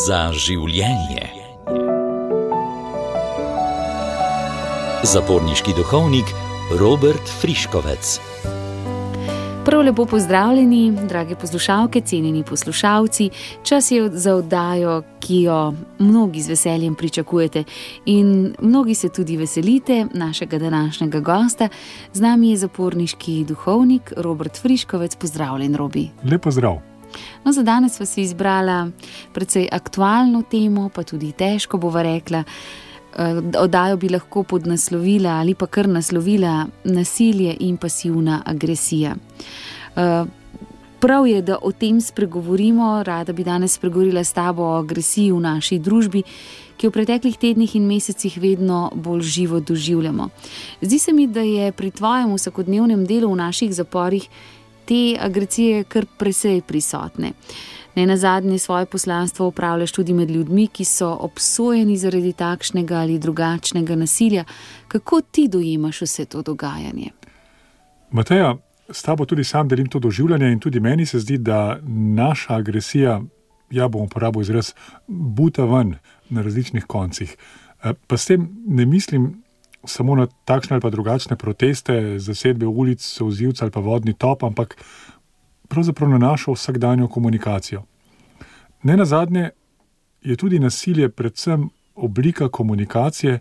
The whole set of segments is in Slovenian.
Za življenje. Zaporniški duhovnik Robert Friškovec. Prav lepo pozdravljeni, drage poslušalke, cenjeni poslušalci. Čas je za oddajo, ki jo mnogi z veseljem pričakujete in mnogi se tudi veselite našega današnjega gosta. Z nami je zaporniški duhovnik Robert Friškovec. Pozdravljen, Robi. Lep pozdrav. No, za danes sva si izbrala precej aktualno temo, pa tudi težko bova rekla. Oddajo bi lahko podnaslovila ali pa kar naslovila nasilje in pasivna agresija. Prav je, da o tem spregovorimo. Rada bi danes spregovorila s tabo o agresiji v naši družbi, ki v preteklih tednih in mesecih vedno bolj živo doživljamo. Zdi se mi, da je pri tvojem vsakodnevnem delu v naših zaporih te agresije kar precej prisotne. Nenazadnje svoje poslanstvo opravljaš tudi med ljudmi, ki so obsojeni zaradi takšnega ali drugačnega nasilja. Kako ti dojemaš vse to dogajanje? Mateja, s tabo tudi sam delim to doživljanje in tudi meni se zdi, da naša agresija, bom uporabil izraz, buta ven na različnih koncih. Pa s tem ne mislim samo na takšne ali pa drugačne proteste, zasedbe ulic, solzivca ali pa vodni top, ampak pravzaprav na našo vsakdanjo komunikacijo. Nenazadnje je tudi nasilje predvsem oblika komunikacije,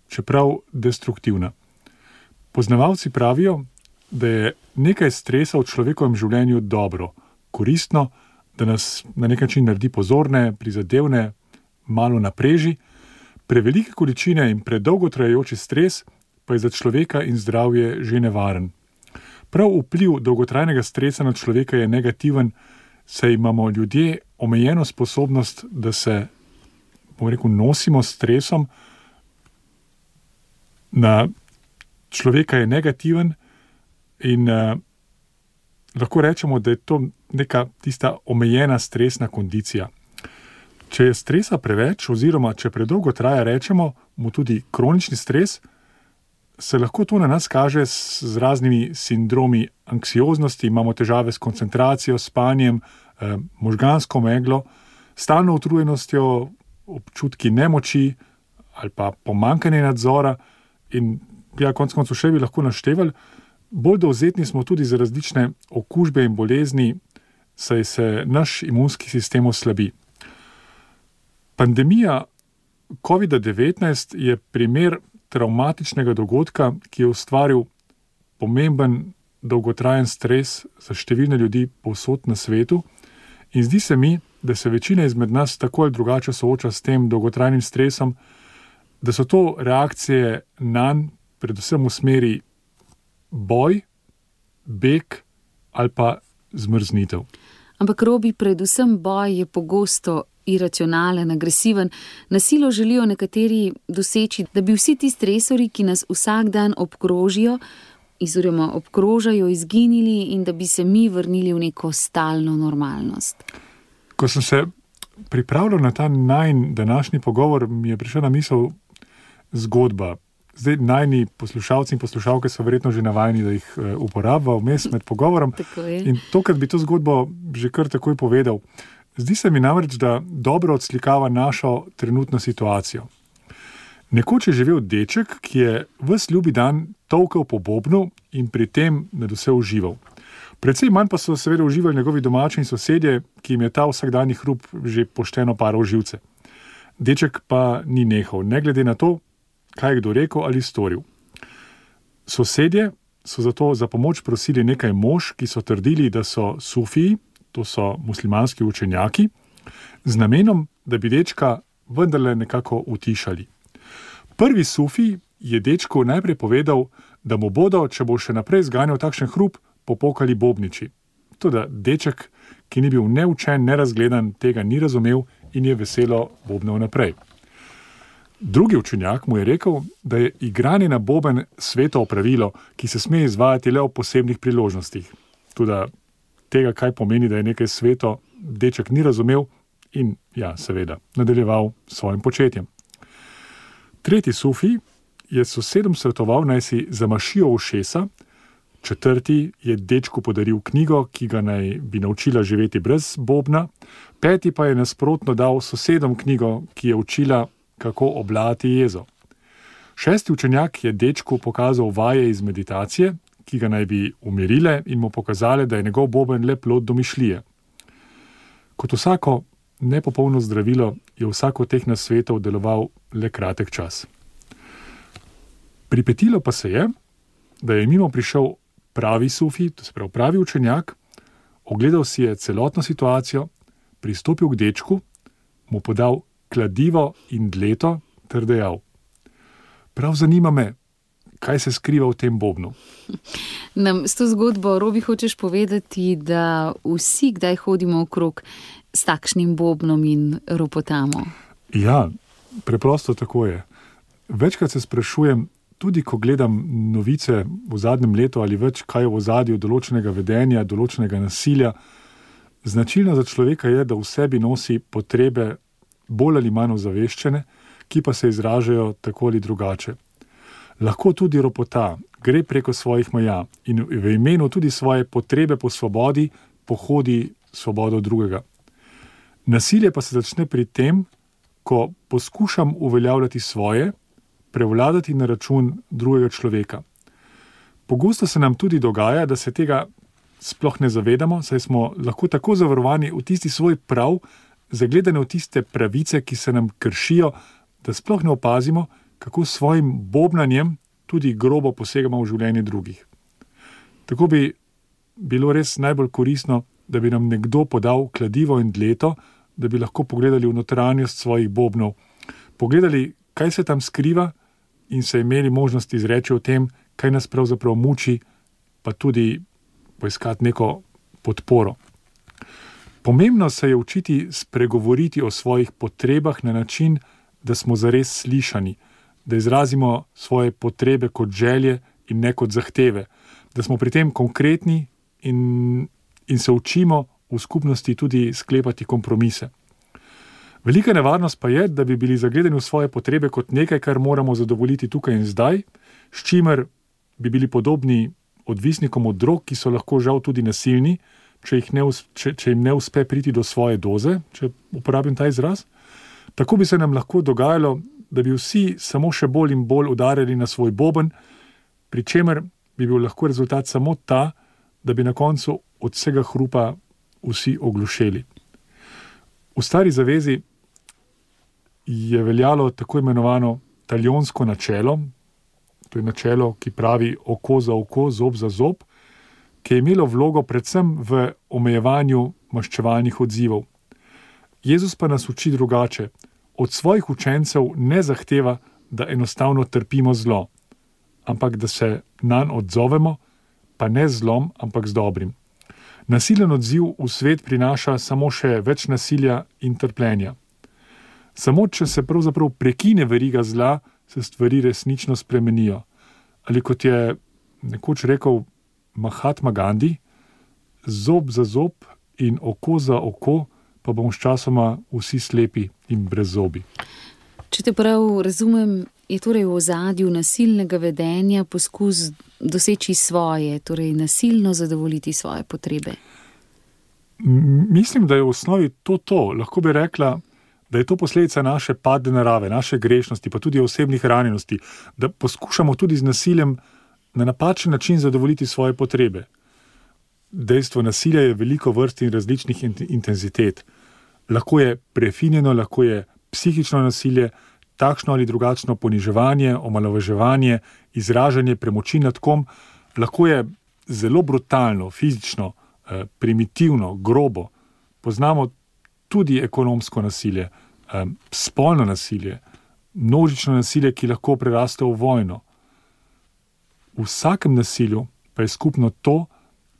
čeprav destruktivna. Poznavalci pravijo, da je nekaj stresa v človekovem življenju dobro, koristno, da nas na nek način naredi pozorne, prizadevne, malo napreži. Prevelike količine in predolgo trajajoči stres pa je za človeka in zdravje že nevaren. Prav vpliv dolgotrajnega stresa na človeka je negativen, saj imamo ljudje omejeno sposobnost, da se, nosimo s stresom. Na človeka je negativen in lahko rečemo, da je to neka tista omejena stresna kondicija. Če je stresa preveč oziroma če predolgo traja, rečemo mu tudi kronični stres, se lahko to na nas kaže z raznimi sindromi anksioznosti, imamo težave s koncentracijo, spanjem, možgansko meglo, stalno utrujenostjo, občutki nemoči ali pa pomanjkanje nadzora in konec koncev še bi lahko naštevali. Bolj dovzetni smo tudi za različne okužbe in bolezni, saj se naš imunski sistem oslabi. Pandemija COVID-19 je primer travmatičnega dogodka, ki je ustvaril pomemben dolgotrajen stres za številne ljudi povsod na svetu in zdi se mi, da se večina izmed nas tako ali drugače sooča s tem dolgotrajnim stresom, da so to reakcije nanj predvsem v smeri boj, beg ali pa zmrznitev. Ampak, Robi, predvsem boj je pogosto iracionalen, agresiven. Na silo želijo nekateri doseči, da bi vsi ti stresori, ki nas vsak dan obkrožajo, izginili in da bi se mi vrnili v neko stalno normalnost. Ko sem se pripravljal na ta najin današnji pogovor, mi je prišla na misel zgodba. Zdaj najni poslušalci in poslušalke so verjetno že navajeni, da jih uporabljajo vmes med pogovorom. In tokrat bi to zgodbo že kar takoj povedal. Zdi se mi namreč, da dobro odslikava našo trenutno situacijo. Nekoč je živel deček, ki je ves ljubi dan tolkel po bobnu in pri tem nadvse užival. Precej manj pa so seveda uživali njegovi domači in sosedje, ki jim je ta vsakdanji hrup že pošteno paral živce. Deček pa ni nehal, ne glede na to, kaj je kdo rekel ali storil. Sosedje so zato za pomoč prosili nekaj mož, ki so trdili, da so sufiji, to so muslimanski učenjaki, z namenom, da bi dečka vendarle nekako utišali. Prvi sufi je dečku najprej povedal, da mu bodo, če bo še naprej zganjal takšen hrup, popokali bobniči. Toda deček, ki ni bil neučen, nerazgledan, tega ni razumel in je veselo bobnal naprej. Drugi učenjak mu je rekel, da je igranje na boben sveto opravilo, ki se sme izvajati le ob posebnih priložnostih. Toda tega, kaj pomeni, da je nekaj sveto, deček ni razumel in, seveda, nadaljeval s svojim početjem. Tretji sufi je sosedom svetoval, naj si zamašijo ušesa, 4. je dečku podaril knjigo, ki ga naj bi naučila živeti brez bobna. 5. pa je nasprotno dal sosedom knjigo, ki je učila, kako obvladati jezo. 6. učenjak je dečku pokazal vaje iz meditacije, ki ga naj bi umirile in mu pokazale, da je njegov boben le plod domišljije. Kot vsako nepopolno zdravilo je vsako teh nasvetov deloval le kratek čas. Pripetilo pa se je, da je mimo prišel pravi sufi, to se pravi pravi učenjak, ogledal si je celotno situacijo, pristopil k dečku, mu podal kladivo in dleto ter dejal: prav zanima me, kaj se skriva v tem bobnu. Nam s to zgodbo, Robi, hočeš povedati, da vsi kdaj hodimo okrog s takšnim bobnom in ropotamo? Ja, preprosto tako je. Večkrat se sprašujem, tudi ko gledam novice v zadnjem letu ali več, kaj je v ozadju določenega vedenja, določenega nasilja. Značilno za človeka je, da v sebi nosi potrebe bolj ali manj ozaveščene, ki pa se izražajo tako ali drugače. Lahko tudi ropota, gre preko svojih meja in v imenu tudi svoje potrebe po svobodi pohodi svobodo drugega. Nasilje pa se začne pri tem, ko poskušam uveljavljati svoje, prevladati na račun drugega človeka. Pogosto se nam tudi dogaja, da se tega sploh ne zavedamo, saj smo lahko tako zavarovani v tisti svoj prav, zagledani v tiste pravice, ki se nam kršijo, da sploh ne opazimo, kako s svojim bobnanjem tudi grobo posegamo v življenje drugih. Tako bi bilo res najbolj koristno, da bi nam nekdo podal kladivo in dleto, da bi lahko pogledali v notranjost svojih bobnov, pogledali, kaj se tam skriva in se imeli možnost izreči o tem, kaj nas pravzaprav muči, pa tudi poiskati neko podporo. Pomembno se je učiti spregovoriti o svojih potrebah na način, da smo zares slišani, da izrazimo svoje potrebe kot želje in ne kot zahteve, da smo pri tem konkretni in se učimo v skupnosti tudi sklepati kompromise. Velika nevarnost pa je, da bi bili zagledani v svoje potrebe kot nekaj, kar moramo zadovoljiti tukaj in zdaj, s čimer bi bili podobni odvisnikom od drog, ki so lahko žal tudi nasilni, če jim ne uspe priti do svoje doze, če uporabim ta izraz. Tako bi se nam lahko dogajalo, da bi vsi samo še bolj in bolj udarjali na svoj boben, pri čemer bi bil lahko rezultat samo ta, da bi na koncu od vsega hrupa vsi oglušeli. V stari zavezi je veljalo tako imenovano taljonsko načelo, to je načelo, ki pravi oko za oko, zob za zob, ki je imelo vlogo predvsem v omejevanju maščevalnih odzivov. Jezus pa nas uči drugače. Od svojih učencev ne zahteva, da enostavno trpimo zlo, ampak da se nanj odzovemo, pa ne z zlom, ampak z dobrim. Nasilen odziv v svet prinaša samo še več nasilja in trpljenja. Samo če se pravzaprav prekine veriga zla, se stvari resnično spremenijo. Ali kot je nekoč rekel Mahatma Gandhi, zob za zob in oko za oko, pa bomo sčasoma vsi slepi in brez zobi. Če te prav razumem, je torej v ozadju nasilnega vedenja poskus doseči svoje, torej nasilno zadovoljiti svoje potrebe. Mislim, da je v osnovi to. Lahko bi rekla, da je to posledica naše padne narave, naše grešnosti, pa tudi osebnih ranjenosti, da poskušamo tudi z nasiljem na napačen način zadovoljiti svoje potrebe. Dejstvo nasilja je veliko vrst in različnih intenzitet. Lahko je prefinjeno, lahko je psihično nasilje, takšno ali drugačno poniževanje, omalovaževanje, izražanje premoči nad kom, lahko je zelo brutalno, fizično, primitivno, grobo. Poznamo tudi ekonomsko nasilje, spolno nasilje, množično nasilje, ki lahko preraste v vojno. V vsakem nasilju pa je skupno to,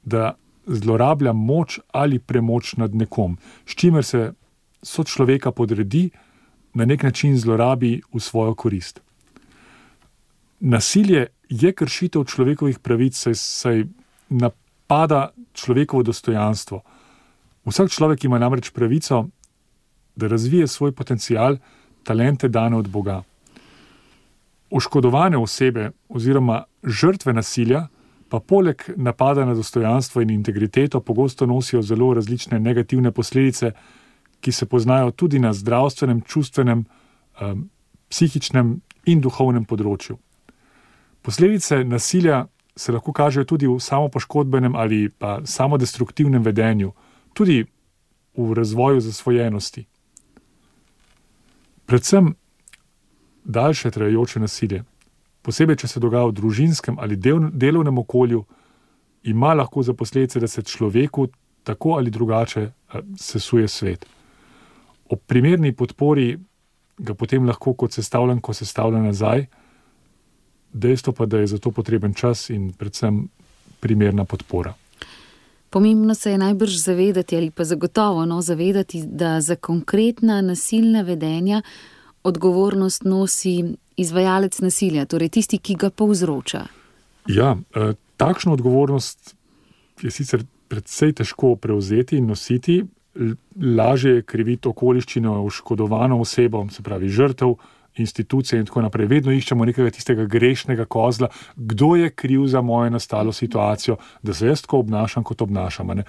da zlorablja moč ali premoč nad nekom, s čimer se sočloveka podredi, na nek način zlorabi v svojo korist. Nasilje je kršitev človekovih pravic, saj napada človekovo dostojanstvo. Vsak človek ima namreč pravico, da razvije svoj potencial, talente dane od Boga. Oškodovane osebe oziroma žrtve nasilja pa poleg napada na dostojanstvo in integriteto pogosto nosijo zelo različne negativne posledice, ki se poznajo tudi na zdravstvenem, čustvenem, psihičnem in duhovnem področju. Posledice nasilja se lahko kažejo tudi v samopoškodbenem ali pa samodestruktivnem vedenju, tudi v razvoju zasvojenosti. Predvsem daljše trajajoče nasilje, posebej če se dogaja v družinskem ali delovnem okolju, ima lahko za posledice, da se človeku tako ali drugače sesuje svet. Ob primerni podpori ga potem lahko kot sestavljanko sestavlja nazaj, dejstvo pa, da je za to potreben čas in predvsem primerna podpora. Pomembno se je najbrž zavedati ali pa zagotovo zavedati, da za konkretna nasilna vedenja odgovornost nosi izvajalec nasilja, torej tisti, ki ga povzroča. Ja, takšno odgovornost je sicer precej težko prevzeti in nositi, lažje je kriviti okoliščino oškodovano osebo, se pravi žrtev, institucije in tako naprej. Vedno iščemo nekega tistega grešnega kozla, kdo je kriv za mojo nastalo situacijo, da se jaz tako obnašam, kot obnašam.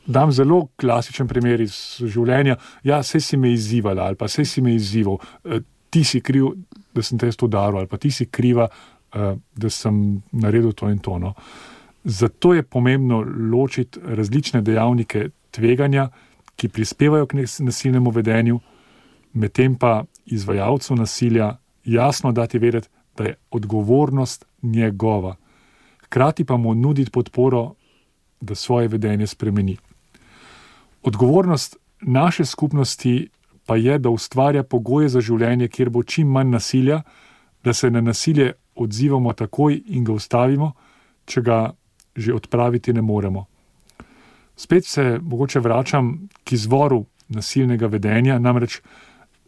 Dam zelo klasičen primer iz življenja, ja, saj si me izzivala ali pa saj si me izzival, ti si kriv, da sem te udaril ali pa ti si kriva, da sem naredil to in to. No. Zato je pomembno ločiti različne dejavnike tveganja, ki prispevajo k nasilnemu vedenju, medtem pa izvajalcu nasilja jasno dati vedeti, da je odgovornost njegova. Hkrati pa mu nuditi podporo, da svoje vedenje spremeni. Odgovornost naše skupnosti pa je, da ustvarja pogoje za življenje, kjer bo čim manj nasilja, da se na nasilje odzivamo takoj in ga ustavimo, če ga že odpraviti ne moremo. Spet se mogoče vračam k izvoru nasilnega vedenja, namreč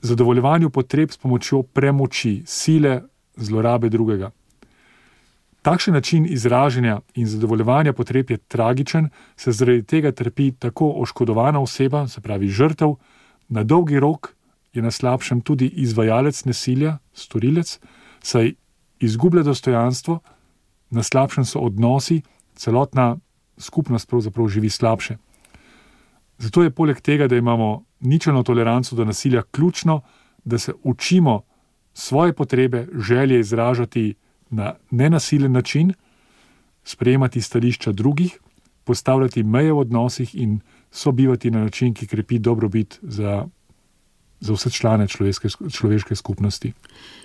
zadovoljevanju potreb s pomočjo premoči, sile, zlorabe drugega. Takšen način izražanja in zadovoljevanja potreb je tragičen, se zaradi tega trpi tako oškodovana oseba, se pravi žrtev, na dolgi rok je na slabšem tudi izvajalec nasilja, storilec, saj izgublja dostojanstvo, na slabšem so odnosi, celotna skupnost pravzaprav živi slabše. Zato je poleg tega, da imamo ničelno toleranco do nasilja, ključno, da se učimo svoje potrebe, želje izražati na nenasilen način, sprejemati stališča drugih, postavljati meje v odnosih in sobivati na način, ki krepi dobrobit za vse člane človeške skupnosti.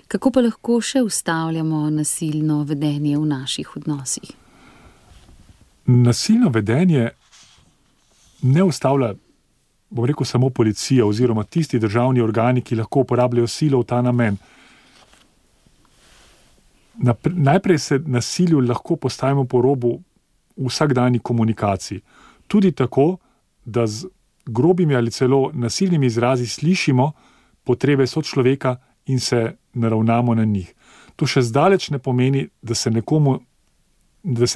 Kako pa lahko še ustavljamo nasilno vedenje v naših odnosih? Nasilno vedenje ne ustavlja, bom rekel, samo policija oziroma tisti državni organi, ki lahko uporabljajo silo v ta namen. Najprej se nasilju lahko postavimo po robu v vsakdanji komunikaciji. Tudi tako, da z grobimi ali celo nasilnimi izrazi slišimo potrebe sočloveka in se naravnamo na njih. To še zdaleč ne pomeni, da se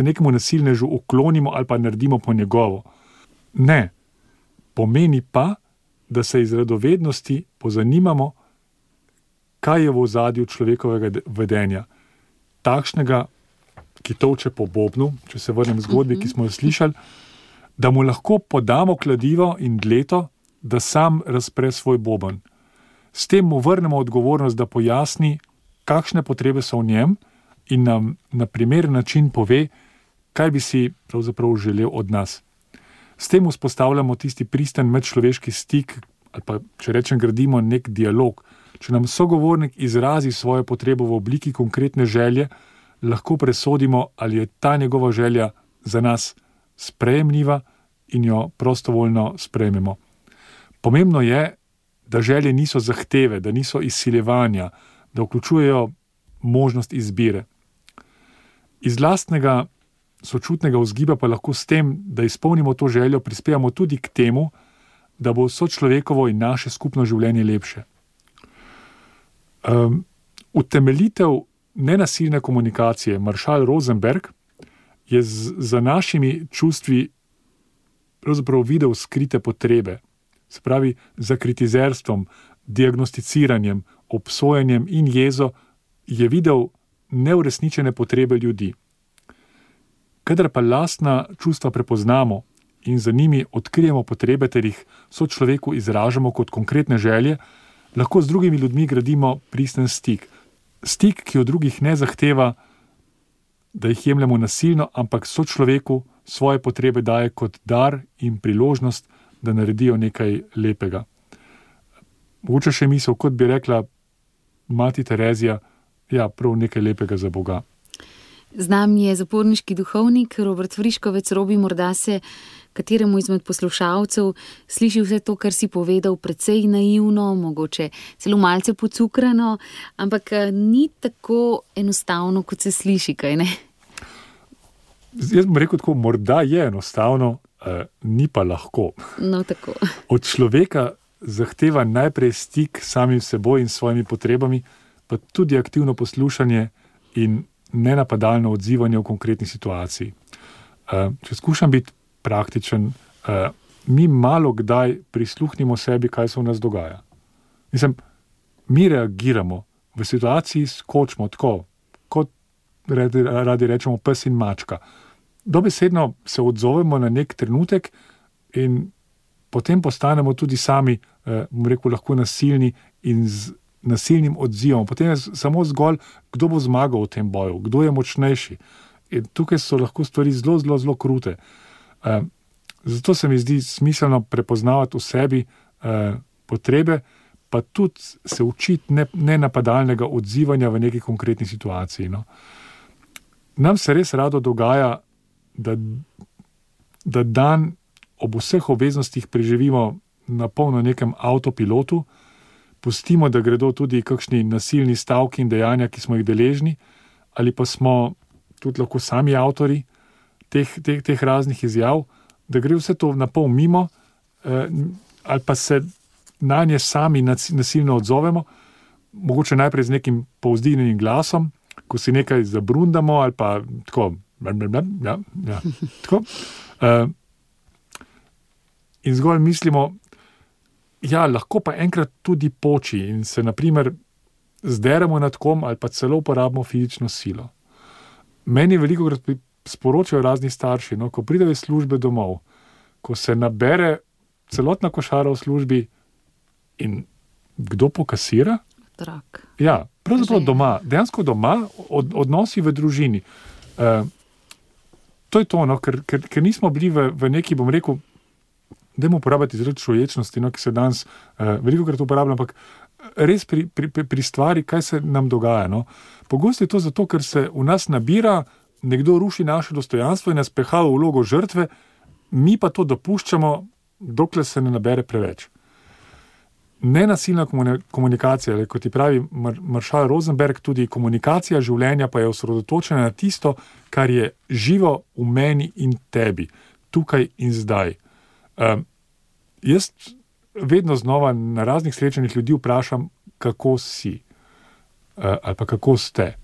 nekemu nasilnežu uklonimo ali pa naredimo po njegovo. Ne. Pomeni pa, da se iz radovednosti pozanimamo, kaj je v ozadju človekovega vedenja. Takšnega, ki tolče po bobnu, če se vrnem zgodbi, ki smo jo slišali, da mu lahko podamo kladivo in dleto, da sam razpre svoj boben. S tem mu vrnemo odgovornost, da pojasni, kakšne potrebe so v njem in nam na primeren način pove, kaj bi si pravzaprav želel od nas. S tem vzpostavljamo tisti pristen medčloveški stik, ali pa, če rečem, gradimo nek dialog. Če nam sogovornik izrazi svojo potrebo v obliki konkretne želje, lahko presodimo, ali je ta njegova želja za nas sprejemljiva in jo prostovoljno sprejmemo. Pomembno je, da želje niso zahteve, da niso izsiljevanja, da vključujejo možnost izbire. Iz lastnega sočutnega vzgiba pa lahko s tem, da izpolnimo to željo, prispevamo tudi k temu, da bo sočlovekovo in naše skupno življenje lepše. Utemeljitev nenasilne komunikacije Maršal Rosenberg je za našimi čustvi pravzaprav videl skrite potrebe, se pravi za kritizerstvom, diagnosticiranjem, obsojanjem in jezo je videl neuresničene potrebe ljudi. Kadar pa lastna čustva prepoznamo in za njimi odkrijemo potrebe ter jih sočloveku izražamo kot konkretne želje, lahko z drugimi ljudmi gradimo pristen stik. Stik, ki od drugih ne zahteva, da jih jemljemo nasilno, ampak sočloveku svoje potrebe daje kot dar in priložnost, da naredijo nekaj lepega. Mogoče še misel, kot bi rekla mati Terezija, ja, prav nekaj lepega za Boga. Z nami je zaporniški duhovnik Robert Friškovec. Robi, morda se kateremu izmed poslušalcev sliši vse to, kar si povedal, precej naivno, mogoče celo malce pocukrano, ampak ni tako enostavno, kot se sliši, kaj ne? Jaz bom rekel tako, morda je enostavno, ni pa lahko. No, tako. Od človeka zahteva najprej stik samim seboj in svojimi potrebami, pa tudi aktivno poslušanje in nenapadalno odzivanje v konkretni situaciji. Če skušam biti praktičen, mi malo kdaj prisluhnimo sebi, kaj se v nas dogaja. Mislim, mi reagiramo, v situaciji skočimo tako, kot radi rečemo pes in mačka. Dobesedno se odzovemo na nek trenutek in potem postanemo tudi sami, bom rekel, lahko nasilni in z nasilnim odzivom. Potem je samo zgolj, kdo bo zmagal v tem boju, kdo je močnejši. In tukaj so lahko stvari zelo, zelo, zelo krute. Zato se mi zdi smiselno prepoznavati v sebi potrebe, pa tudi se učiti nenapadalnega odzivanja v neki konkretni situaciji. No. Nam se res rado dogaja, da dan ob vseh obveznostih preživimo na polno nekem avtopilotu, pustimo, da gredo tudi kakšni nasilni stavki in dejanja, ki smo jih deležni, ali pa smo tudi lahko sami avtori teh raznih izjav, da gre vse to na pol mimo, ali pa se na nje sami nasilno odzovemo, mogoče najprej z nekim povzdignjenim glasom, ko si nekaj zabrundamo, ali pa tako, tako. In zgolj mislimo, ja, lahko pa enkrat tudi poči in se, na primer, zderemo nad kom ali pa celo uporabimo fizično silo. Meni velikokrat sporočajo razni starši, no, ko pridejo iz službe domov, ko se nabere celotna košara v službi in kdo pokasira? Otrok. Ja, pravzaprav doma, dejansko doma, odnosi v družini. To je to, no, ker nismo bili v neki, bom rekel, dajmo uporabljati izraz človečnosti, no, ki se danes velikokrat uporablja, ampak res pri stvari, kaj se nam dogaja. No. Pogosto je to zato, ker se v nas nabira, nekdo ruši naše dostojanstvo in nas peha v vlogo žrtve, mi pa to dopuščamo, dokler se ne nabere preveč. Nenasilna komunikacija, kot ti pravi maršal Rosenberg, tudi komunikacija življenja pa je osredotočena na tisto, kar je živo v meni in tebi, tukaj in zdaj. Jaz vedno znova na raznih srečanjih ljudi vprašam, kako si ali pa kako ste.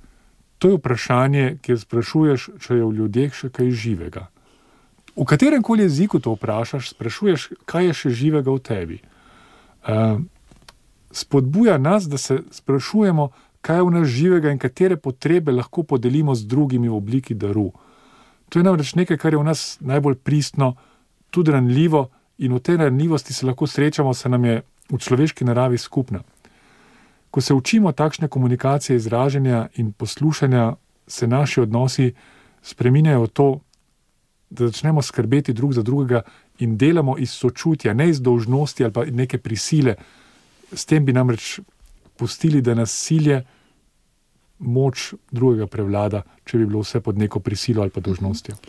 To je vprašanje, kjer sprašuješ, če je v ljudeh še kaj živega. V katerem koli jeziku to vprašaš, sprašuješ, kaj je še živega v tebi. Spodbuja nas, da se sprašujemo, kaj je v nas živega in katere potrebe lahko podelimo z drugimi v obliki daru. To je namreč nekaj, kar je v nas najbolj pristno, tudi ranljivo, in v tej ranljivosti se lahko srečamo, se nam je v človeški naravi skupna. Ko se učimo takšne komunikacije, izražanja in poslušanja, se naši odnosi spreminjajo v to, da začnemo skrbeti drug za drugega in delamo iz sočutja, ne iz dolžnosti ali pa neke prisile. S tem bi namreč pustili, da nasilje moč drugega prevlada, če bi bilo vse pod neko prisilo ali pa dolžnostjo.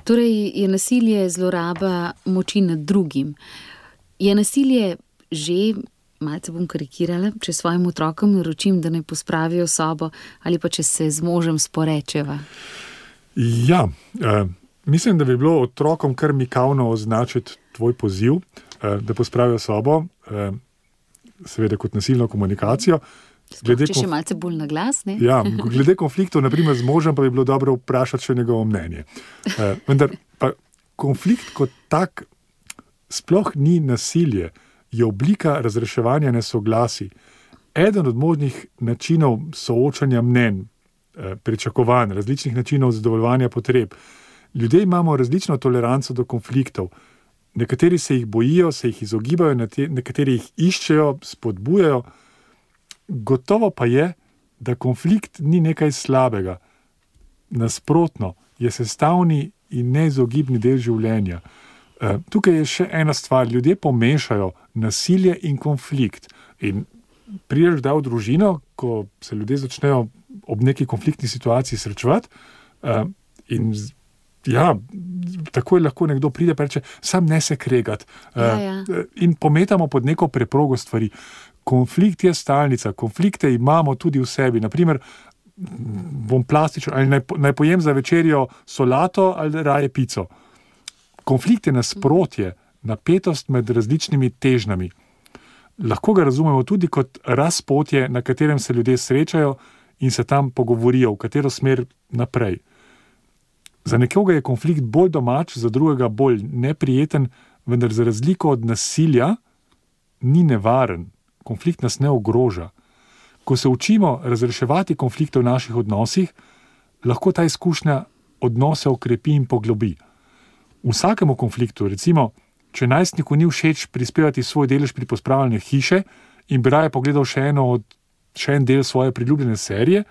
Torej je nasilje zloraba moči nad drugim. Je nasilje že, malce bom karikirala, če svojim otrokom naročim, da ne pospravijo sobo, ali pa če se z možem sporečeva? Ja, mislim, da bi bilo otrokom kar mikavno označiti tvoj poziv, da pospravijo sobo, seveda kot nasilno komunikacijo. Če še malce bolj na glas, ne? Ja, glede konfliktov, naprimer z možem, pa bi bilo dobro vprašati še njegovo mnenje. Vendar pa konflikt kot tak sploh ni nasilje, je oblika razreševanja nesoglasij. Eden od možnih načinov soočanja mnenj, pričakovanj, različnih načinov zadovoljevanja potreb. Ljudje imamo različno toleranco do konfliktov. Nekateri se jih bojijo, se jih izogibajo, nekateri jih iščejo, spodbujajo. Gotovo pa je, da konflikt ni nekaj slabega. Nasprotno, je sestavni in neizogibni del življenja. Tukaj je še ena stvar. Ljudje pomešajo nasilje in konflikt. In prideš v družino, ko se ljudje začnejo ob neki konfliktni situaciji srečevati, in takoj lahko nekdo pride in reče, sam ne se kregati. In pometamo pod neko preprogo stvari. Konflikt je stalnica, konflikte imamo tudi v sebi. Naprimer, bom plastičen, ali naj pojem za večerjo solato ali raje pico. Konflikt je nasprotje, napetost med različnimi težnjami. Lahko ga razumemo tudi kot razpotje, na katerem se ljudje srečajo in se tam pogovorijo, v katero smer naprej. Za nekoga je konflikt bolj domač, za drugega bolj neprijeten, vendar za razliko od nasilja ni nevaren. Konflikt nas ne ogroža. Ko se učimo razreševati konflikte v naših odnosih, lahko ta izkušnja odnose okrepi in poglobi. Vsakemu konfliktu, recimo, če najstniku ni všeč prispevati svoj delež pri pospravljanju hiše in bi raje pogledal še en del svoje priljubljene serije,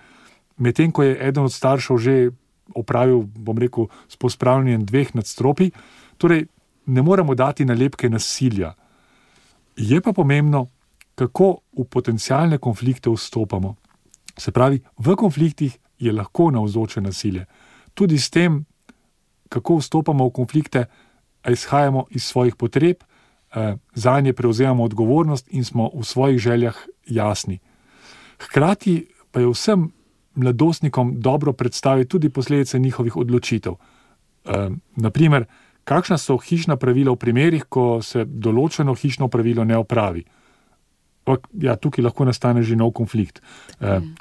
medtem ko je eden od staršev že opravil, bom rekel, s pospravljanjem 2 nadstropij, torej ne moremo dati nalepke nasilja. Je pa pomembno, kako v potencialne konflikte vstopamo. Se pravi, v konfliktih je lahko navzoče nasilje. Tudi s tem, kako vstopamo v konflikte, izhajamo iz svojih potreb, zanje prevzemamo odgovornost in smo v svojih željah jasni. Hkrati pa je vsem mladostnikom dobro predstaviti tudi posledice njihovih odločitev. Naprimer, kakšna so hišna pravila v primerih, ko se določeno hišno pravilo ne opravi. Tukaj lahko nastane že nov konflikt,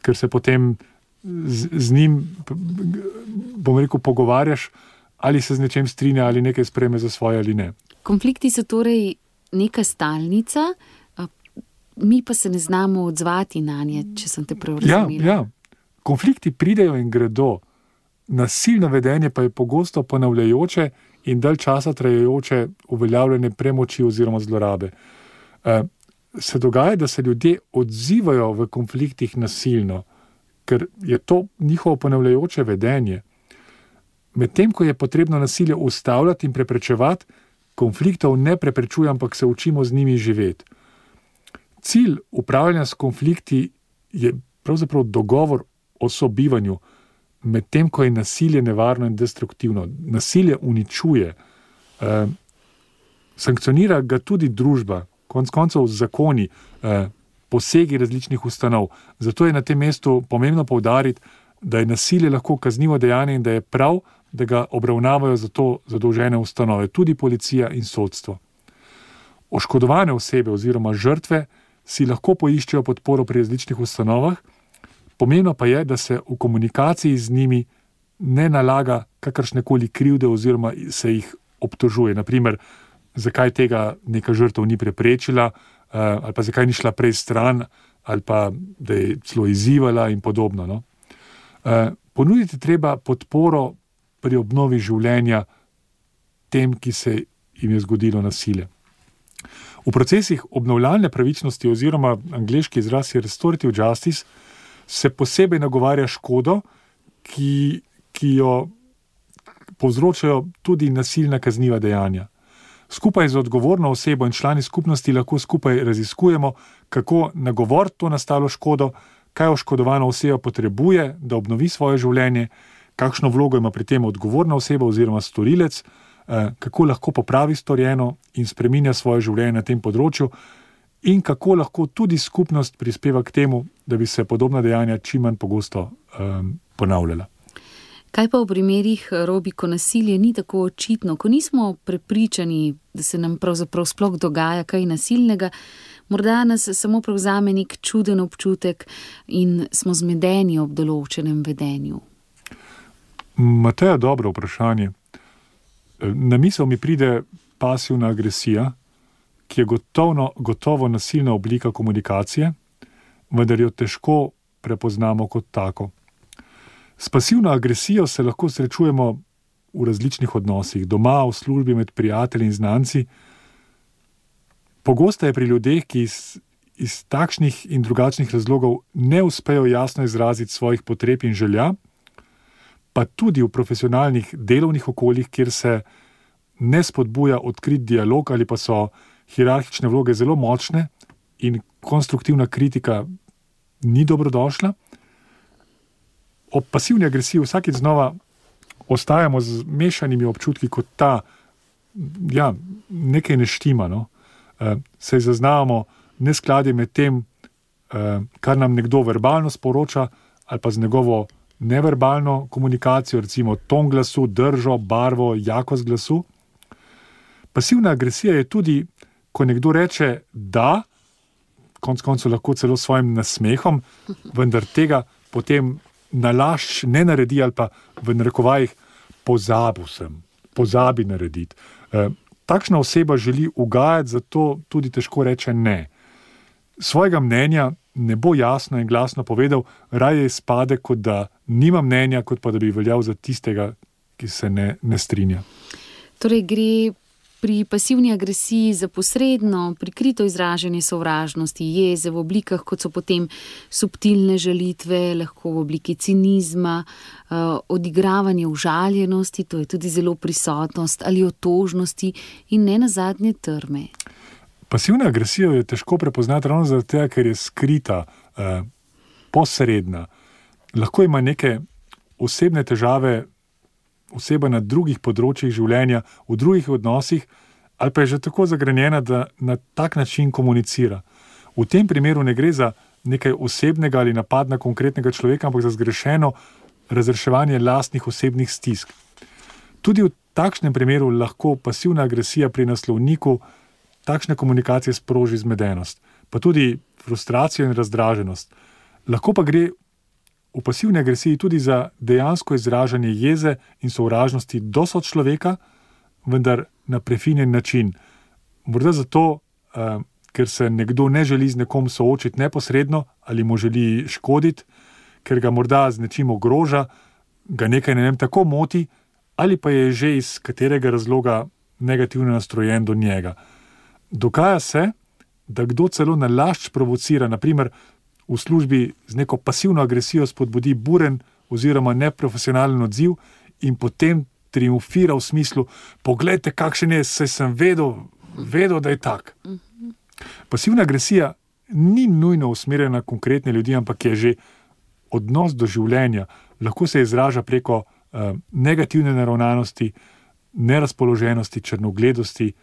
ker se potem z njim, bom rekel, pogovarjaš, ali se z nečem strinja, ali nekaj sprejme za svoje ali ne. Konflikti so torej neka stalnica, mi pa se ne znamo odzvati na nje, če sem te prav razumela. Ja. Konflikti pridejo in gredo. Nasilno vedenje pa je pogosto ponavljajoče in dalj časa trajajoče uveljavljanje premoči oziroma zlorabe. Se dogaja, da se ljudje odzivajo v konfliktih nasilno, ker je to njihovo ponavljajoče vedenje. Medtem ko je potrebno nasilje ustavljati in preprečevati, konfliktov ne preprečuje, ampak se učimo z njimi živeti. Cilj upravljanja s konflikti je pravzaprav dogovor o sobivanju, medtem ko je nasilje nevarno in destruktivno. Nasilje uničuje, sankcionira ga tudi družba, konec koncev zakoni, posegi različnih ustanov. Zato je na tem mestu pomembno poudariti, da je nasilje lahko kaznivo dejanje in da je prav, da ga obravnavajo za to zadolžene ustanove, tudi policija in sodstvo. Oškodovane osebe oziroma žrtve si lahko poiščejo podporo pri različnih ustanovah, pomembno pa je, da se v komunikaciji z njimi ne nalaga kakršnekoli krivde oziroma se jih obtožuje. Naprimer, zakaj tega neka žrtev ni preprečila, ali pa zakaj ni šla prej stran, ali pa da je celo izzivala in podobno. No? Ponuditi treba podporo pri obnovi življenja tem, ki se jim je zgodilo nasilje. V procesih obnovljalne pravičnosti oziroma angleški izraz je restorative justice se posebej nagovarja škodo, ki jo povzročajo tudi nasilna kazniva dejanja. Skupaj z odgovorno osebo in člani skupnosti lahko skupaj raziskujemo, kako nagovoriti to nastalo škodo, kaj oškodovana oseba potrebuje, da obnovi svoje življenje, kakšno vlogo ima pri tem odgovorna oseba oziroma storilec, kako lahko popravi storjeno in spreminja svoje življenje na tem področju in kako lahko tudi skupnost prispeva k temu, da bi se podobna dejanja čim manj pogosto ponavljala. Kaj pa v primerih, Robi, ko nasilje ni tako očitno, ko nismo prepričani, da se nam pravzaprav sploh dogaja kaj nasilnega, morda nas samo prevzame nek čuden občutek in smo zmedeni ob določenem vedenju? Mateja, dobro vprašanje. Na misel mi pride pasivna agresija, ki je gotovo nasilna oblika komunikacije, vendar jo težko prepoznamo kot tako. S pasivno agresijo se lahko srečujemo v različnih odnosih, doma, v službi, med prijatelji in znanci. Pogosto je pri ljudeh, ki iz takšnih in drugačnih razlogov ne uspejo jasno izraziti svojih potreb in želja, pa tudi v profesionalnih delovnih okoljih, kjer se ne spodbuja odkrit dialog ali pa so hierarhične vloge zelo močne in konstruktivna kritika ni dobrodošla. Ob pasivni agresiji vsakič znova ostajamo z mešanimi občutki, kot ta, nekaj ne štima, no. Saj zaznavamo neskladje med tem, kar nam nekdo verbalno sporoča, ali pa z njegovo neverbalno komunikacijo, recimo ton glasu, držo, barvo, jakost glasu. Pasivna agresija je tudi, ko nekdo reče da, konec koncev lahko celo s svojim nasmehom, vendar tega potem nalašč ne naredi ali pa v narekovajih pozabi narediti. Takšna oseba želi ugajati, zato tudi težko reče ne. Svojega mnenja ne bo jasno in glasno povedal, raje izpade, kot da nima mnenja, kot pa da bi veljal za tistega, ki se ne strinja. Torej gre pri pasivni agresiji za posredno, prikrito izražanje sovražnosti, jeze v oblikah, kot so potem subtilne žalitve, lahko v obliki cinizma, odigravanje užaljenosti, to je tudi zelo prisotnost, ali otožnosti in ne nazadnje trme. Pasivna agresija je težko prepoznati ravno zaradi tega, ker je skrita, posredna. Lahko ima neke osebne težave oseba na drugih področjih življenja, v drugih odnosih, ali pa je že tako zagrenjena, da na tak način komunicira. V tem primeru ne gre za nekaj osebnega ali napad na konkretnega človeka, ampak za zgrešeno razreševanje lastnih osebnih stisk. Tudi v takšnem primeru lahko pasivna agresija pri naslovniku takšne komunikacije sproži zmedenost, pa tudi frustracijo in razdraženost. Lahko pa gre v pasivni agresiji tudi za dejansko izražanje jeze in sovražnosti do sočloveka, vendar na prefinjen način. Morda zato, ker se nekdo ne želi z nekom soočiti neposredno ali mu želi škoditi, ker ga morda z nečim ogroža, ga nekaj tako moti, ali pa je že iz katerega razloga negativno nastrojen do njega. Dogaja se, da kdo celo nalašč provocira, naprimer v službi z neko pasivno agresijo spodbudi buren oziroma neprofesionalen odziv in potem triumfira v smislu, poglejte, kakšen je, saj sem vedel, da je tak. Pasivna agresija ni nujno usmerjena na konkretne ljudi, ampak je že odnos do življenja. Lahko se izraža preko negativne naravnanosti, nerazpoloženosti, črnogledosti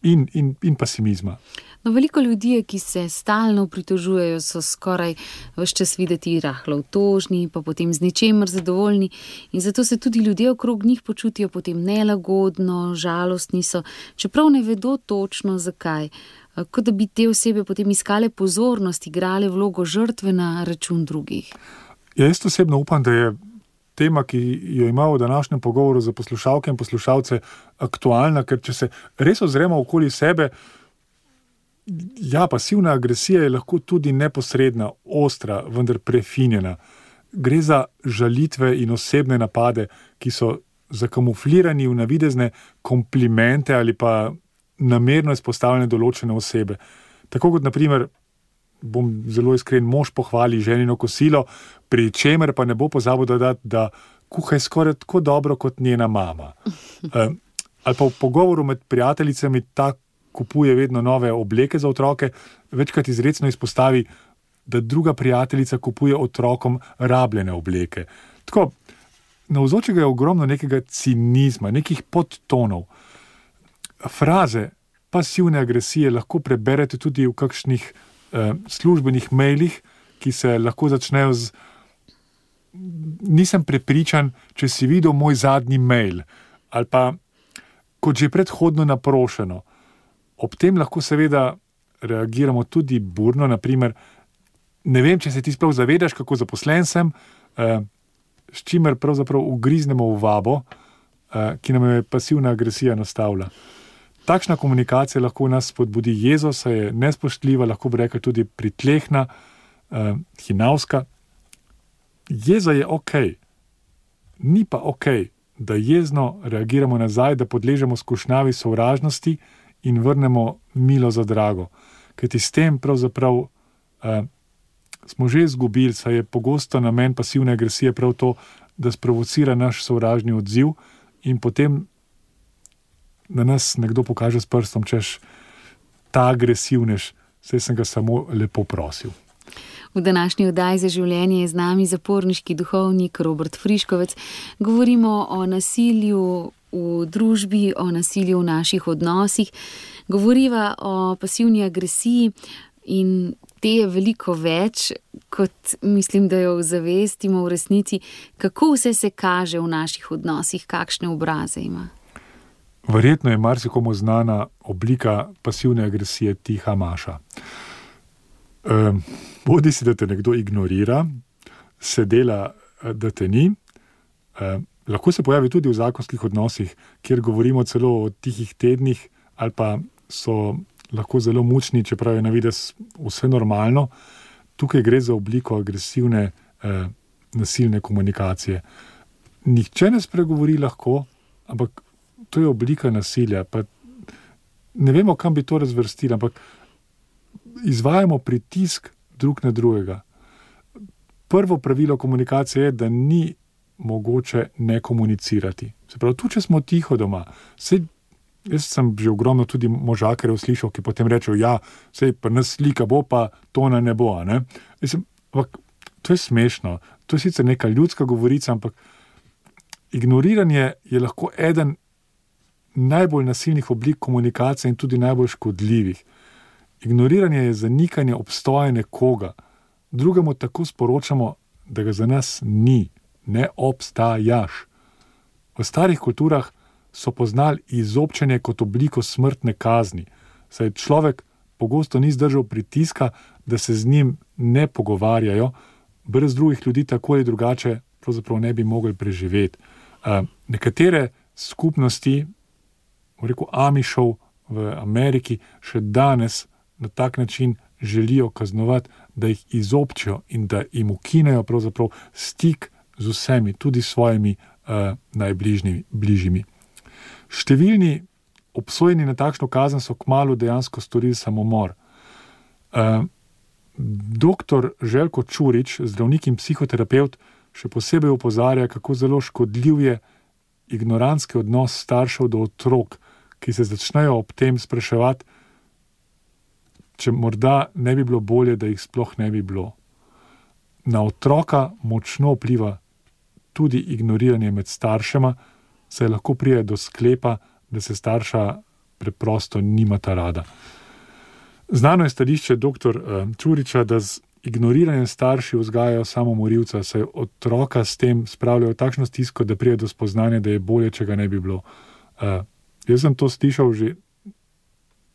in pesimizma. No, veliko ljudi je, ki se stalno pritožujejo, so skoraj ves čas videti rahlo otožni, pa potem z ničemer zadovoljni in zato se tudi ljudje okrog njih počutijo potem nelagodno, žalostni so, čeprav ne vedo točno zakaj. Kot da bi te osebe potem iskale pozornost, igrale vlogo žrtve na račun drugih. Jaz osebno upam, da je tema, ki jo ima v današnjem pogovoru za poslušalke in poslušalce, aktualna, ker če se res ozremo okoli sebe, pasivna agresija je lahko tudi neposredna, ostra, vendar prefinjena. Gre za žalitve in osebne napade, ki so zakamuflirani v navidezne komplimente ali pa namerno izpostavljene določene osebe. Tako kot, naprimer, bom zelo iskren, mož pohvali ženino kosilo, pri čemer pa ne bo pozabil dodati, da kuha je skoraj tako dobro kot njena mama. Ali pa v pogovoru med prijateljicami ta kupuje vedno nove obleke za otroke, večkrat izrecno izpostavi, da druga prijateljica kupuje otrokom rabljene obleke. Tako, navzočega je ogromno nekega cinizma, nekih podtonov. Fraze pasivne agresije lahko preberete tudi v kakšnih službenih mailih, ki se lahko začnejo z nisem prepričan, če si videl moj zadnji mail, ali pa kot že predhodno naprošeno. Ob tem lahko seveda reagiramo tudi burno, naprimer, ne vem, če se ti sploh zavedaš, kako zaposlen sem, s čimer pravzaprav ugriznemo v vabo, ki nam je pasivna agresija nastavlja. Takšna komunikacija lahko nas spodbudi jezo, saj je nespoštljiva, lahko bi rekla tudi pritlehna, hinavska. Jeza je okej, ni pa okej, da jezno reagiramo nazaj, da podležemo skušnjavi sovražnosti in vrnemo milo za drago. Kajti s tem pravzaprav smo že izgubili, saj je pogosto namen pasivne agresije prav to, da sprovocira naš sovražni odziv in potem na nas nekdo pokaže s prstom, češ ta agresivnež, saj sem ga samo lepo prosil. V današnji oddaji Za življenje je z nami zaporniški duhovnik Robert Friškovec. Govorimo o nasilju v družbi, o nasilju v naših odnosih. Govoriva o pasivni agresiji in te je veliko več, kot mislim, da jo zavestimo v resnici. Kako vse se kaže v naših odnosih, kakšne obraze ima? Verjetno je marsikomu znana oblika pasivne agresije tiha maša. Bodi si, da te nekdo ignorira, se dela, da te ni. Lahko se pojavi tudi v zakonskih odnosih, kjer govorimo celo o tihih tednih, ali pa so lahko zelo mučni, čeprav je na videz vse normalno. Tukaj gre za obliko agresivne, nasilne komunikacije. Nihče ne spregovori lahko, ampak to je oblika nasilja. Pa ne vemo, kam bi to razvrstili, ampak izvajamo pritisk drug na drugega. Prvo pravilo komunikacije je, da ni mogoče ne komunicirati. Se pravi, tu če smo tiho doma, jaz sem že ogromno tudi možakarjev slišal, ki potem rečejo, ja, sej pa nas slika bo, pa tona ne bo. Ne? Ampak to je smešno. To je sicer neka ljudska govorica, ampak ignoriranje je lahko eden najbolj nasilnih oblik komunikacije in tudi najbolj škodljivih. Ignoriranje je zanikanje obstoja nekoga. Drugemu tako sporočamo, da ga za nas ni, ne obstajaš. V starih kulturah so poznali izobčenje kot obliko smrtne kazni, saj človek pogosto ni zdržal pritiska, da se z njim ne pogovarjajo, brez drugih ljudi tako ali drugače pravzaprav ne bi mogli preživeti. Nekatere skupnosti, rekel Amišov v Ameriki, še danes na tak način želijo kaznovati, da jih izobčijo in da jim ukinejo pravzaprav stik z vsemi, tudi svojimi najbližjimi. Številni obsojeni na takšno kazen so kmalu dejansko storili samomor. Doktor Željko Čurič, zdravnik in psihoterapevt, še posebej opozarja, kako zelo škodljiv je ignorantski odnos staršev do otrok, ki se začnejo ob tem spraševati, če morda ne bi bilo bolje, da jih sploh ne bi bilo. Na otroka močno vpliva tudi ignoriranje med staršema, saj lahko pride do sklepa, da se starša preprosto nimata rada. Znano je stališče dr. Čuriča, da z ignoriranjem starši vzgajajo samomorilca, saj otroka s tem spravljajo v takšno stisko, da pride do spoznanja, da je bolje, če ga ne bi bilo. Jaz sem to slišal že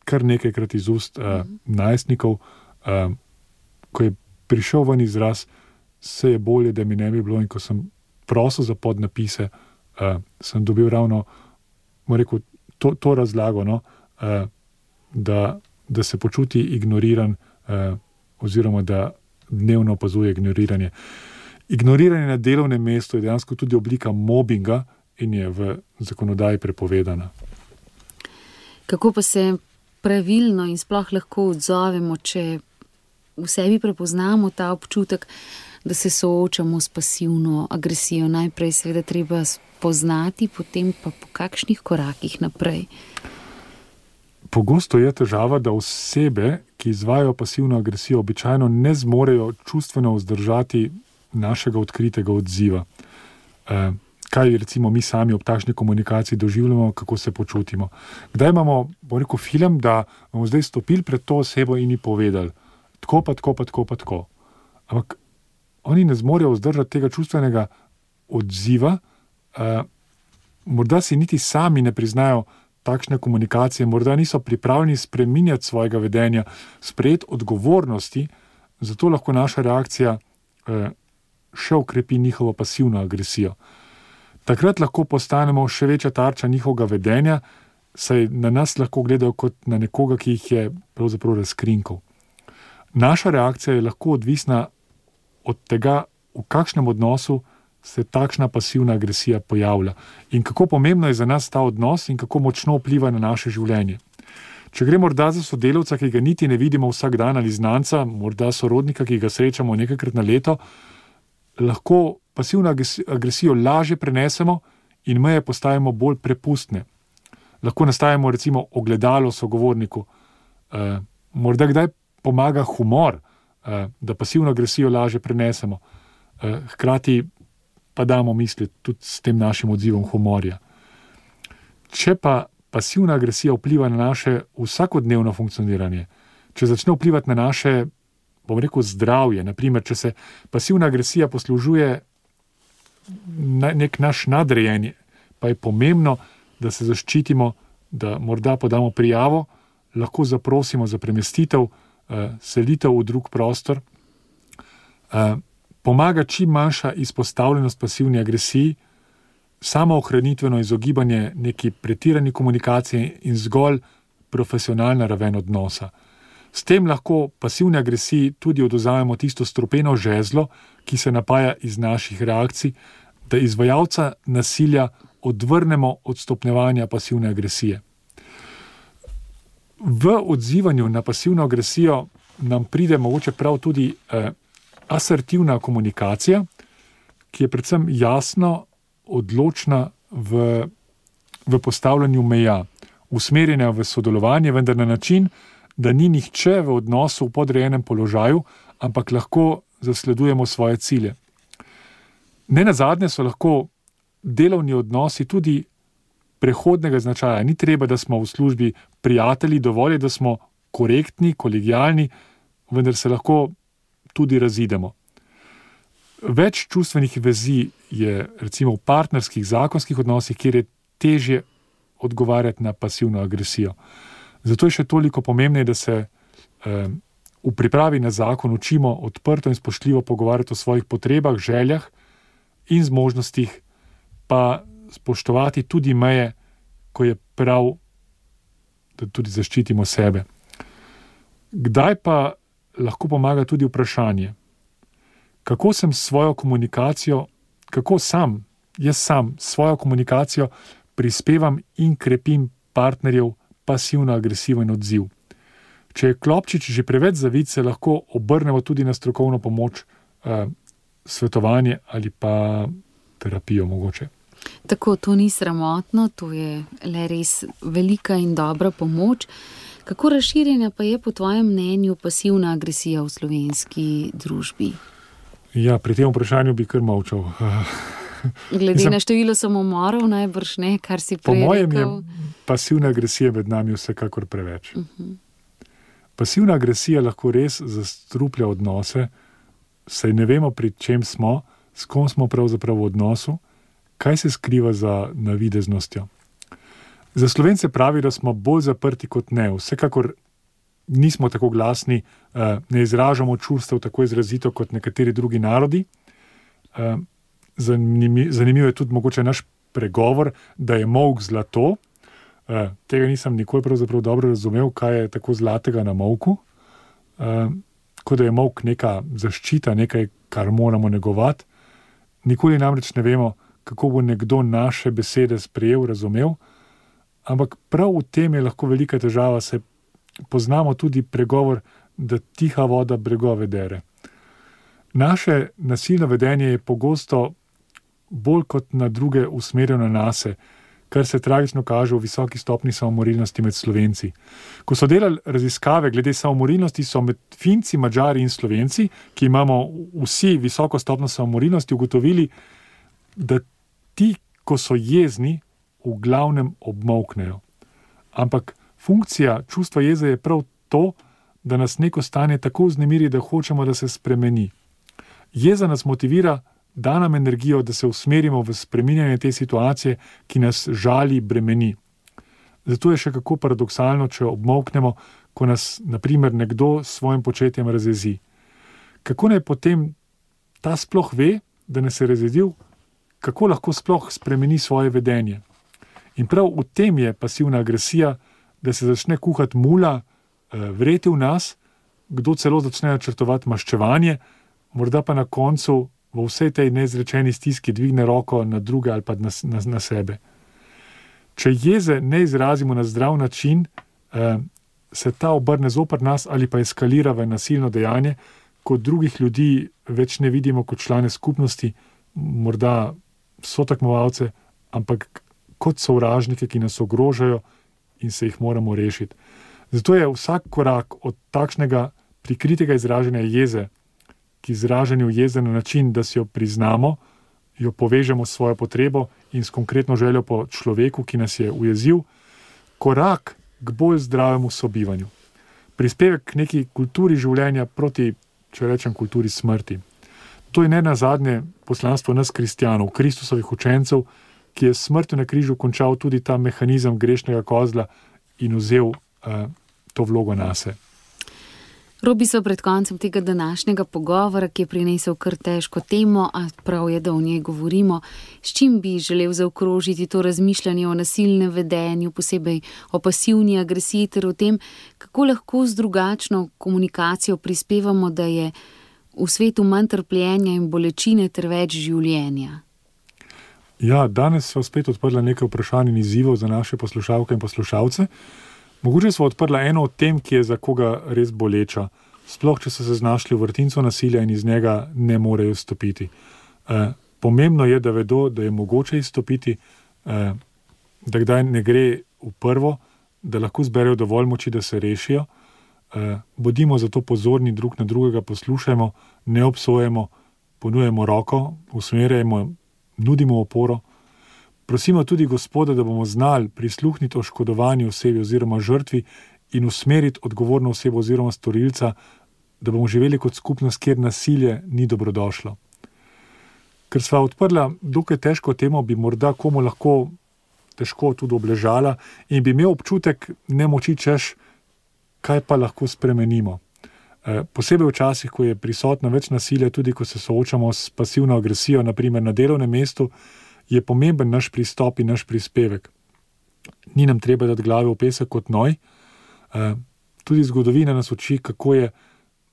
kar nekajkrat iz ust najstnikov, ko je prišel ven izraz, se je bolje, da mi ne bi bilo, in ko sem prosil za podnapise, sem dobil ravno, rekel, to razlago, no, da se počuti ignoriran, oziroma da dnevno opazuje ignoriranje. Ignoriranje na delovnem mestu je dejansko tudi oblika mobinga in je v zakonodaji prepovedana. Kako pa se pravilno in sploh lahko odzovemo, če v sebi prepoznamo ta občutek, da se soočamo s pasivno agresijo? Najprej seveda treba spoznati, potem pa po kakšnih korakih naprej? Pogosto je težava, da osebe, ki izvajajo pasivno agresijo, običajno ne zmorejo čustveno vzdržati našega odkritega odziva. Kaj recimo mi sami ob takšni komunikaciji doživljamo, kako se počutimo. Kdaj imamo, rekel, film, da bomo zdaj stopili pred to osebo in ji povedali, tako pa tako pa tako pa tako. Ampak oni ne zmorejo vzdržati tega čustvenega odziva, morda si niti sami ne priznajo takšne komunikacije, morda niso pripravljeni spreminjati svojega vedenja, sprejeti odgovornosti, zato lahko naša reakcija še ukrepi njihovo pasivno agresijo. Takrat lahko postanemo še večja tarča njihovega vedenja, saj na nas lahko gledajo kot na nekoga, ki jih je pravzaprav razkrinkal. Naša reakcija je lahko odvisna od tega, v kakšnem odnosu se takšna pasivna agresija pojavlja. In kako pomembno je za nas ta odnos in kako močno vpliva na naše življenje. Če gre morda za sodelavca, ki ga niti ne vidimo vsak dan, ali znanca, morda sorodnika, ki ga srečamo nekajkrat na leto, lahko pasivno agresijo lažje prenesemo in meje postajamo bolj prepustne. Lahko nastajamo recimo ogledalo sogovorniku. Morda kdaj pomaga humor, da pasivno agresijo lažje prenesemo. Hkrati pa damo misliti tudi s tem našim odzivom humorja. Če pa pasivna agresija vpliva na naše vsakodnevno funkcioniranje, če začne vplivati na naše, bom rekel, zdravje, naprimer, če se pasivna agresija poslužuje nek naš nadrejeni, pa je pomembno, da se zaščitimo, da morda podamo prijavo, lahko zaprosimo za premestitev, selitev v drug prostor. Pomaga čim manjša izpostavljenost pasivni agresiji, samoohranitveno izogibanje neki pretirani komunikaciji in zgolj profesionalna raven odnosa. S tem lahko pasivni agresiji tudi odvzamemo tisto strupeno žezlo, ki se napaja iz naših reakcij, da izvajalca nasilja odvrnemo od stopnjevanja pasivne agresije. V odzivanju na pasivno agresijo nam pride mogoče prav tudi asertivna komunikacija, ki je predvsem jasno odločna v postavljanju meja, usmerjena v sodelovanje, vendar na način, da ni nihče v odnosu v podrejenem položaju, ampak lahko zasledujemo svoje cilje. Nenazadnje so lahko delovni odnosi tudi prehodnega značaja. Ni treba, da smo v službi prijatelji, dovolj je, da smo korektni, kolegijalni, vendar se lahko tudi razidemo. Več čustvenih vezi je recimo v partnerskih, zakonskih odnosih, kjer je težje odgovarjati na pasivno agresijo. Zato je še toliko pomembneje, da se v pripravi na zakon učimo odprto in spoštljivo pogovarjati o svojih potrebah, željah in zmožnostih, pa spoštovati tudi meje, ko je prav, da tudi zaščitimo sebe. Kdaj pa lahko pomaga tudi vprašanje, kako sem svojo komunikacijo, kako jaz sam svojo komunikacijo prispevam in krepim partnerjev pasivno agresiven odziv. Če je klopčič že preveč zavit, se lahko obrnemo tudi na strokovno pomoč, svetovanje ali pa terapijo mogoče. Tako, to ni sramotno, to je le res velika in dobra pomoč. Kako razširjena pa je po tvojem mnenju pasivna agresija v slovenski družbi? Ja, pri tem vprašanju bi kar molčal. Glede na število samomorov najbrž ne, kar si prej rekel. Po mojem je pasivna agresija med nami vsekakor preveč. Pasivna agresija lahko res zastruplja odnose, saj ne vemo, pri čem smo, s kom smo pravzaprav v odnosu, kaj se skriva za navideznostjo. Za Slovence pravi, da smo bolj zaprti kot ne. Vsekakor nismo tako glasni, ne izražamo čustev tako izrazito kot nekateri drugi narodi. Zanimivo je tudi mogoče naš pregovor, da je molk zlato. Tega nisem nikoli pravzaprav dobro razumel, kaj je tako zlatega na molku. Kot da je molk neka zaščita, nekaj, kar moramo negovati. Nikoli namreč ne vemo, kako bo nekdo naše besede sprejel, razumel. Ampak prav v tem je lahko velika težava, se poznamo tudi pregovor, da tiha voda bregove dere. Naše nasilno vedenje je pogosto bolj kot na druge usmerjeno na nase, kar se tragično kaže v visoki stopni samomorilnosti med Slovenci. Ko so delali raziskave glede samomorilnosti, so med Finci, Madžari in Slovenci, ki imamo vsi visoko stopno samomorilnosti, ugotovili, da ti, ko so jezni, v glavnem obmolknejo. Ampak funkcija čustva jeze je prav to, da nas neko stanje tako vznemiri, da hočemo, da se spremeni. Jeza nas motivira, da nam energijo, da se usmerimo v spreminjanje te situacije, ki nas žali, bremeni. Zato je še kako paradoksalno, če obmolknemo, ko nas, na primer, nekdo s svojim početjem razjezi. Kako naj potem ta sploh ve, da nas je razjezil, kako lahko sploh spremeni svoje vedenje? In prav v tem je pasivna agresija, da se začne kuhati mula, vreti v nas, kdo celo začne načrtovati maščevanje, morda pa na koncu v vsej tej neizrečeni stiski dvigne roko na druge ali pa na sebe. Če jeze ne izrazimo na zdrav način, se ta obrne zoper nas ali pa eskalira v nasilno dejanje, kot drugih ljudi več ne vidimo kot člane skupnosti, morda sotekmovalce, ampak kot sovražnike, ki nas ogrožajo in se jih moramo rešiti. Zato je vsak korak od takšnega prikritega izražanja jeze k izražanju jeze na način, da si jo priznamo, jo povežemo s svojo potrebo in s konkretno željo po človeku, ki nas je ujezil, korak k bolj zdravemu sobivanju. Prispevek k neki kulturi življenja proti, če rečem, kulturi smrti. To je ne nazadnje poslanstvo nas kristjanov, Kristusovih učencev, ki je s smrtjo na križu končal tudi ta mehanizem grešnega kozla in vzel to vlogo nase. Robi, so pred koncem tega današnjega pogovora, ki je prinesel kar težko temo, a prav je, da o njej govorimo. S čim bi želel zaokrožiti to razmišljanje o nasilnem vedenju, posebej o pasivni agresiji, ter o tem, kako lahko z drugačno komunikacijo prispevamo, da je v svetu manj trpljenja in bolečine ter več življenja? Ja, danes sva spet odprla nekaj vprašanj in izzivov za naše poslušalke in poslušalce. Mogoče sva odprla eno od tem, ki je za koga res boleča, sploh če so se znašli v vrtincu nasilja in iz njega ne morejo izstopiti. Pomembno je, da vedo, da je mogoče izstopiti, da kdaj ne gre v prvo, da lahko zberejo dovolj moči, da se rešijo. Bodimo zato pozorni drug na drugega, poslušajmo, ne obsojamo, ponujemo roko, usmerjajmo, nudimo oporo. Prosimo tudi Gospoda, da bomo znali prisluhniti oškodovani osebi oziroma žrtvi in usmeriti odgovorno osebo oziroma storilca, da bomo živeli kot skupnost, kjer nasilje ni dobrodošlo. Ker sva odprla dokaj težko temo, bi morda komu lahko težko tudi obležala in bi imel občutek nemoči, češ, kaj pa lahko spremenimo. Posebej včasih, ko je prisotno več nasilja, tudi ko se soočamo s pasivno agresijo, naprimer na delovnem mestu, je pomemben naš pristop in naš prispevek. Ni nam treba dati glave v pesek kot noj. Tudi zgodovina nas uči, kako je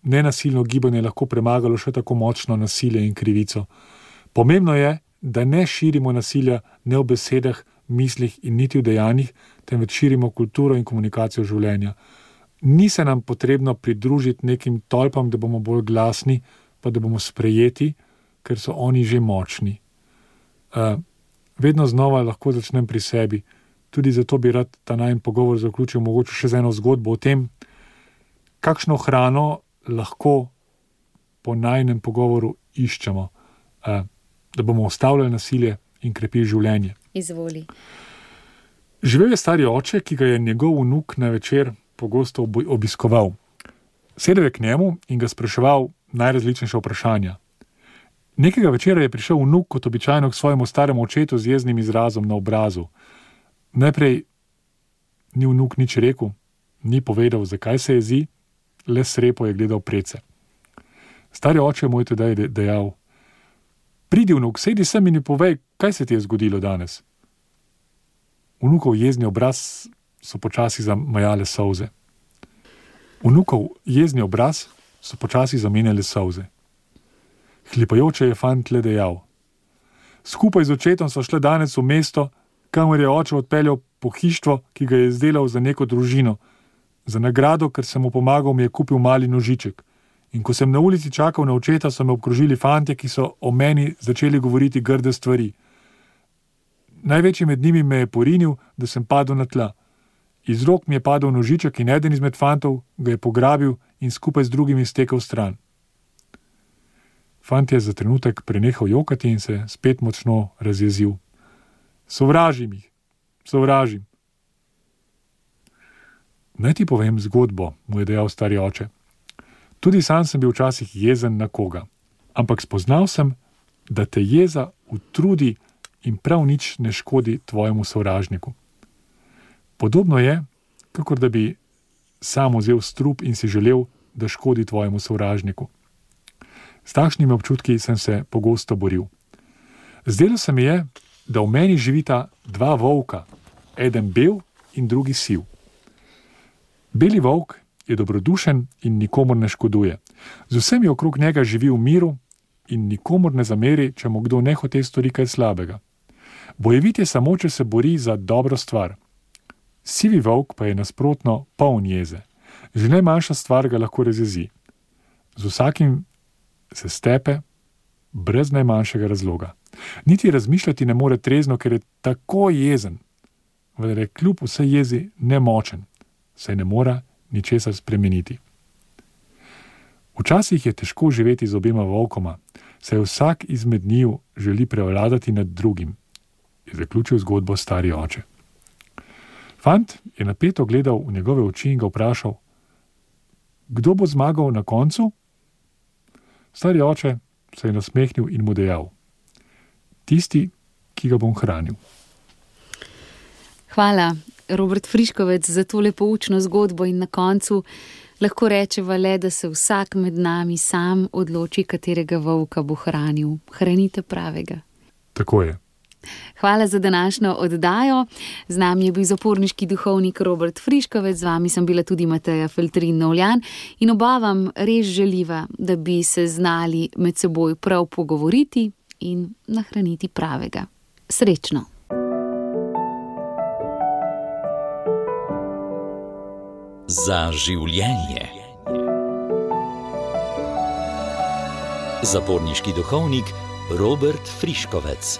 nenasilno gibanje lahko premagalo še tako močno nasilje in krivico. Pomembno je, da ne širimo nasilja ne v besedah, mislih in niti v dejanjih, temveč širimo kulturo in komunikacijo življenja. Ni se nam potrebno pridružiti nekim tolpam, da bomo bolj glasni, pa da bomo sprejeti, ker so oni že močni. Vedno znova lahko začnem pri sebi. Tudi zato bi rad ta najin pogovor zaključil mogoče še z eno zgodbo o tem, kakšno hrano lahko po najinem pogovoru iščemo, da bomo ustavljali nasilje in krepili življenje. Izvoli. Živel je stari oče, ki ga je njegov vnuk na večer pogosto obiskoval. Sedel je k njemu in ga spraševal najrazličnejša vprašanja. Nekega večera je prišel vnuk kot običajno k svojemu staremu očetu z jeznim izrazom na obrazu. Najprej ni vnuk nič rekel, ni povedal, zakaj se jezi, le srepo je gledal prece. Stari oče mu je tedaj dejal: "Pridi, vnuk, sedi sem in mi povej, kaj se ti je zgodilo danes." Vnukov jezni obraz so počasi zamajale solze. Vnukov jezni obraz so počasi zamenjale solze. Hlipajoče je fant le dejal: "Skupaj z očetom sva šla danes v mesto, kamor je oče odpeljal pohištvo, ki ga je izdelal za neko družino. Za nagrado, ker sem mu pomagal, mi je kupil mali nožiček. In ko sem na ulici čakal na očeta, so me obkrožili fantje, ki so o meni začeli govoriti grde stvari. Največji med njimi me je porinil, da sem padel na tla. Iz rok mi je padel nožiček in eden izmed fantov ga je pograbil in skupaj z drugimi stekel stran." Fant je za trenutek prenehal jokati in se spet močno razjezil. "Sovražim jih, sovražim." "Naj ti povem zgodbo," mu je dejal stari oče. "Tudi sam sem bil včasih jezen na koga, ampak spoznal sem, da te jeza utrudi in prav nič ne škodi tvojemu sovražniku. Podobno je, kakor da bi sam vzel strup in si želel, da škodi tvojemu sovražniku. S takšnimi občutki sem se pogosto boril. Zdelo se mi je, da v meni živita dva volka, eden bel in drugi siv. Beli volk je dobrodušen in nikomur ne škoduje. Z vsemi okrog njega živi v miru in nikomor ne zameri, če mu kdo nehote stori kaj slabega. Bojevit je samo, če se bori za dobro stvar. Sivi volk pa je nasprotno poln jeze. Že najmanjša stvar ga lahko razjezi. Z vsakim se stepe, brez najmanjšega razloga. Niti razmišljati ne more trezno, ker je tako jezen, vendar je kljub vsej jezi nemočen, saj ne mora ničesar spremeniti. Včasih je težko živeti z obema volkoma, saj vsak izmed njiju želi prevladati nad drugim, je zaključil zgodbo stari oče. Fant je napeto gledal v njegove oči in ga vprašal, kdo bo zmagal na koncu? Stari oče se je nasmehnil in mu dejal, tisti, ki ga bom hranil. Hvala, Robert Friškovec, za tole poučno zgodbo in na koncu lahko rečeva le, da se vsak med nami sam odloči, katerega volka bo hranil. Hranite pravega. Tako je. Hvala za današnjo oddajo. Z nami je bil zaporniški duhovnik Robert Friškovec, z vami sem bila tudi Mateja Feltrin-Novljan in oba vam res želiva, da bi se znali med seboj prav pogovoriti in nahraniti pravega. Srečno! Za življenje. Zaporniški duhovnik Robert Friškovec.